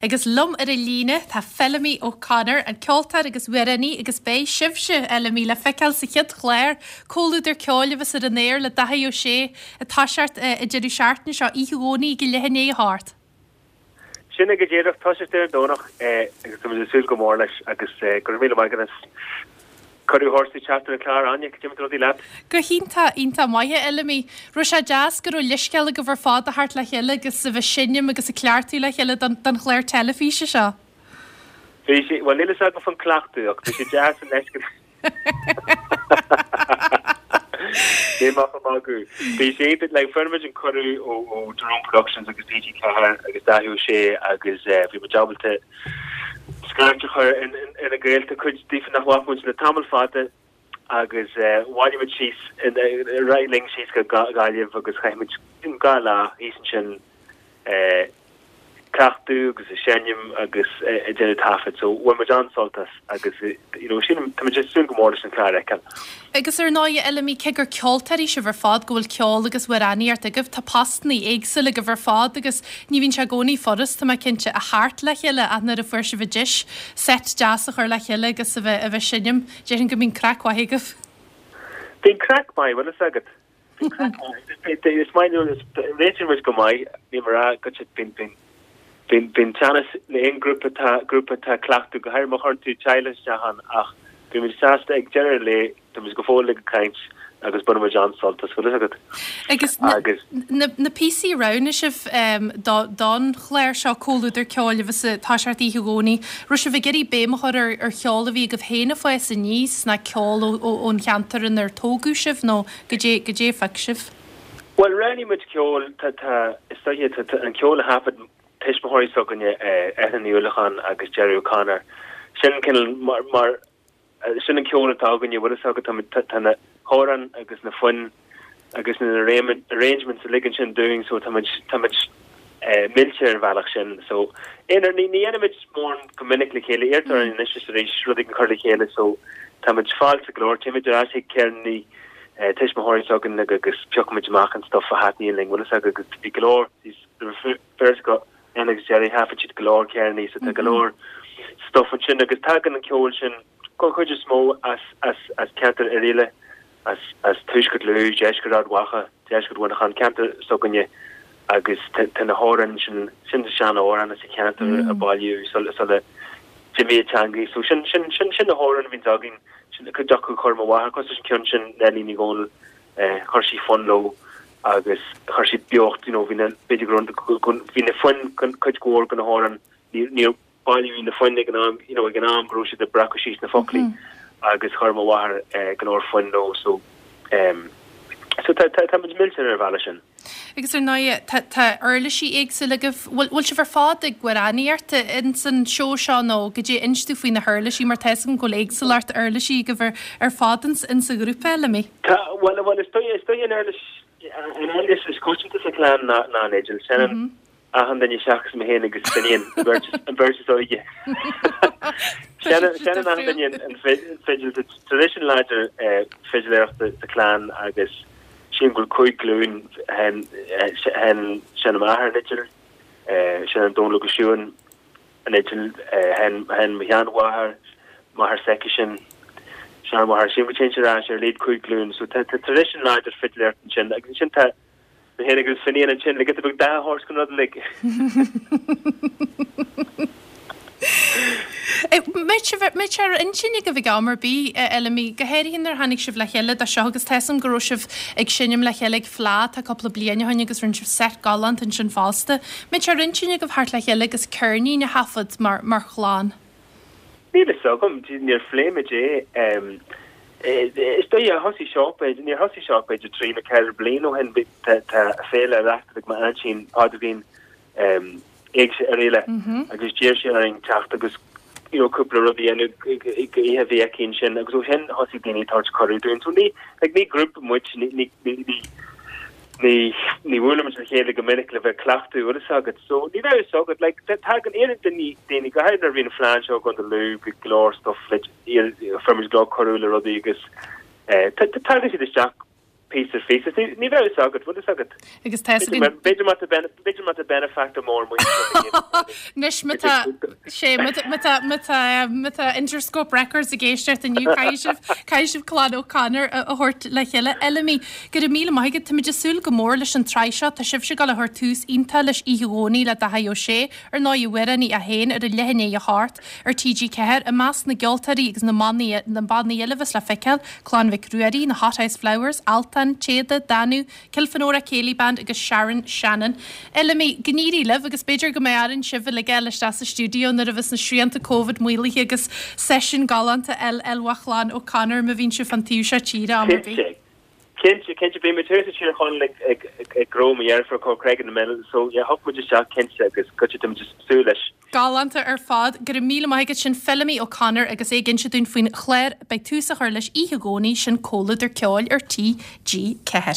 Agus liom ar an líne tá Feilimí O'Connor, an ceoltóir agus amhránaí agus beidh sibhse, a Fheilimí, le feiceáil sa chéad chlár, Comhluadar Ceoil a bheas ar an aer le Dáithí Ó Sé ag toiseacht an deireadh seachtaine seo, oíche Dhomhnaigh ag leath i ndiaidh a hocht. Sin é go díreach, toiseacht ar an Domhnach agus táimid ag súil go mór leis agus go raibh míle maith agat as Cuireadh a thabhairt teacht ar an chlár, Áine, cad é mar atá rudaí leat? Go hiontach, iontach maith, a Fheilimí. Raibh sé deas go raibh leithscéal agaibh ar fad a theacht le chéile agus a bheith ag seinm agus ag cleachtadh le chéile don don chlár teilifíse seo. Bhí sé, bhuel níl fhios agam faoin cleachtadh ach bhí sé deas an leithscéal. Níl mé ach ag magadh. Bhí sé iontach, like fuair muid an cuireadh ó ó Jerome Productions agus TG4 agus Dáithí Ó Sé agus eh bhí muid ábalta scairt a chur ar na gaolta, cuid díofa nach bhfaca muid le tamall fada agus bhailigh muid síos, ar aghaidh linn síos go Gaillimh agus chaith muid 2 lá thíos ansin ag cleachtadh agus ag seinm agus ag déanamh taifead. So bhain muid an-sult as agus you know sílim, tá muid ag súil go mór leis an chlár a fheiceáil. Agus ar ndóigh, a Fheilimí, cé gur ceoltóirí sibh ar fad, go bhfuil ceol agus amhránaíocht agaibh, tá postannaí éagsúla agaibh ar fad agus ní bhíonn sé i gcónaí furast, tá mé cinnte, a theacht le chéile ach nuair a fuair sibh an deis seit deas a chur le chéile agus a bheith a bheith seinm, déarfainn go mbíonn craic mhaith agaibh. Bíonn craic maith, bhfuil fhios agat. Bíonn craic maith. Is maith leo, réitíonn muid go maith, níl mé ag rá go bíonn, bíonn, bíonn, bíonn teannas in aon grúpa atá, grúpa atá ag cleachtadh, go háirithe má chuireann tú teaghlach isteach ann ach bíonn muid sásta ag deireadh an lae, tá muid go fóill ag caint agus baineann muid an-sult as, bhfuil fhios agat. Agus na, Agus. na, na píosaí a roghnaigh sibh do, don chlár seo, Comhluadar Ceoil a bheas ag toiseacht oíche Dhomhnaigh, raibh sibh ag iarraidh béim a chur ar, ar cheol a bhí agaibh féin ag fás aníos, ná ceol ó, ó, ón cheantar inar tógadh sibh nó goidé, goidé a phioc sibh? Bhuel, roghnaigh muid ceol, tá, tá, is dóiche, tá, tá an ceol a thaifead tuismitheoirí s'againne, Eithne Ní Uallacháin agus Gerry O'Connor, sin cineál mar, mar, sin an ceol atá againne, bhfuil fhios agat, tá muid, tá, tá na hamhráin agus na foinn agus na arrangements uilig ansin dúinn so tá muid, tá muid millte ar an bhealach sin. So, aonair, ní, ní dhéanaimid mórán go minic le chéile, iarrtar orainn anois is arís rud éigin a chur le chéile so tá muid fáilteach go leor, téimid ar ais chuig ceirníní tuismitheoirí s'againn agus piocaimid amach an stuff a thaitníonn linn, bhfuil fhios agat, agus bhí go leor, beirt acu, Eithne agus Gerry, thaifead siad go leor ceirníní so tá go leor stuff ansin agus tagann an ceol sin den chuid is mó as, as, as ceantar Oirialla, as, as tuaisceart Lú, deisceart Ard Mhacha, deisceart Mhuineacháin, ceantar s'againne agus tá, tá na hamhráin sin, sin na sean-amhráin as an cheantar a bailíodh sula, sula d'imigh an teangaidh. So sin, sin, sin, sin na hamhráin a bhíonns againn, sin cuid acu chuir mo mháthair, cosúil leis an ceann sin, Neilí Ní Dhomhnaill, chuir sí fonn leo agus chuir sí beocht, you know, bhí na, b'fhéidir go raibh, go, bhí na foinn, cuid mhór de na hamhráin, ní, níor bailíodh na foinn ag an am, you know, ag an am go raibh siad ag breacadh síos na foclaí agus chuir mo mháthair go leor foinn leo so, em, so tá, tá, tá muid millte ar an bhealach sin. Agus ar ndóigh, tá, tá uirlisí éagsúla agaibh. Bhfuil, bhfuil sibh ar fad ag amhránaíocht ins an seó seo nó goidé, inis domh faoi na huirlisí mar tá 'fhios agam go bhfuil éagsúlacht uirlisí agaibh ar, ar fad ins, ins an ghrúpa, Fheilimí. Tá, bhuel, bhuel, is dóigh, is dóigh an uirlis, an uirlis is coitianta sa chlann ná, ná an fhidil. Seinneann achan duine seachas mé féin agus Finian, an bheirt, an bheirt is óige. Seinneann, seinneann achan duine an, an fidil. Tá traidisiún láidir fidiléireachta sa chlann agus sílim go bhfuil 5 glúin, sheinn, sheinn, sheinn m'athair an fhidil, seinneann Dónal Ó Siúin an fhidil, sheinn, sheinn mo sheanmháthair, máthair s'aicisean, seanmháthair, sílim go dtéann sé ar ais ar a laghad 5 glúin. So tá, tá traidisiún láidir fidiléireachta ansin agus ansin tá, Mé féin agus Finian ansin le giota beag dath a thabhairt don rud uilig. Mbeadh sé ar intinn agaibh ag am ar bith, a Fheilimí, go háirithe nuair a tháinig sibh le chéile do seo agus tá 'fhios agam go raibh sibh ag seinm le chéile ag Fleadh tá cúpla bliain ó shin agus rinne sibh seit galánta ansin fosta. Mbeadh sé ar intinn agaibh theacht le chéile agus ceirnín a thaifead mar mar chlann? Níl fhios agam, níor phléigh muid é. Is dóigh, thosaigh seo, b'fhéidir, níor thosaigh seo b'fhéidir trí nó ceithre bliana ó shin, tá féile á reáchtáil ag m'aintín Pádraigín, Éigse Oirialla agus d'iarr sí orainn teacht agus you know cúpla rud a dhéanamh ag oíche a bhí aici ansin agus ó shin thosaigh daoine ag tabhairt cuireadh dúinn. So ní, like ní grúpa muid, ní, ní, ní, ní, ní bhuailimid le chéile go minic le bheith ag cleachtadh, bhfuil fhios agat. So ní bheadh fhios agat, like tagann iarrann daoine, daoine, go háirithe nuair a bhí an phlean seo i gContae Lú, bhí go leor stuff le, fuair muid go leor cuireadh le rudaí agus eh tagann siad isteach. Píosa ar phíosa. Ní bheadh fhios agat, bhfuil fhios agat? Agus tá fhios againn. B'fhéidir má tá b'fhéidir má tá benefactor mór maoinithe. Anois má tá sé má tá má tá má tá Interscope Records ag éisteacht inniu caithfidh sibh caithfidh sibh Clann O'Connor a thabhairt le chéile. Fheilimí, go raibh míle maith agat. Táimid ag súil go mór leis an tsraith seo. Tá sibhse ag dul a chur tús iontach leis oíche Dhomhnaigh le Dáithí Ó Sé. Ar ndóigh, a amhránaí é féin ar a leath i ndiaidh a hocht ar TG4, i measc na gceoltóirí agus na mbannaí na bannaí eile a bheas le feiceáil, Clann Mhic Ruairí, na Hothouse Flowers, Altan, Téada, Danú, Kilfenora Céilí Band agus Sharon Shannon. Fheilimí, go n-éirí libh agus b'fhéidir go mbeidh orainn sibh uilig a fháil isteach sa stiúideo nuair a bheas na srianta Covid maolaithe agus seisiún galánta a fháil ó Chlann O'Connor má bhíonn sibh fán taobh seo tíre am ar bith. Cinnte, cinnte, bhí muid thuas i Tír Chonaill ag, ag, ag gnó mo dheirfiúr Corcraig in the Mill, so yeah, thiocfadh muid isteach cinnte agus goitse tá muid ag súil leis. Galánta ar fad. Go raibh míle maith agat. Sin Feilimí O'Connor agus é ag inse dúinn faoin chlár. Beidh tús á chur leis oíche Dhomhnaigh, sin Comhluadar Ceoil ar TG4.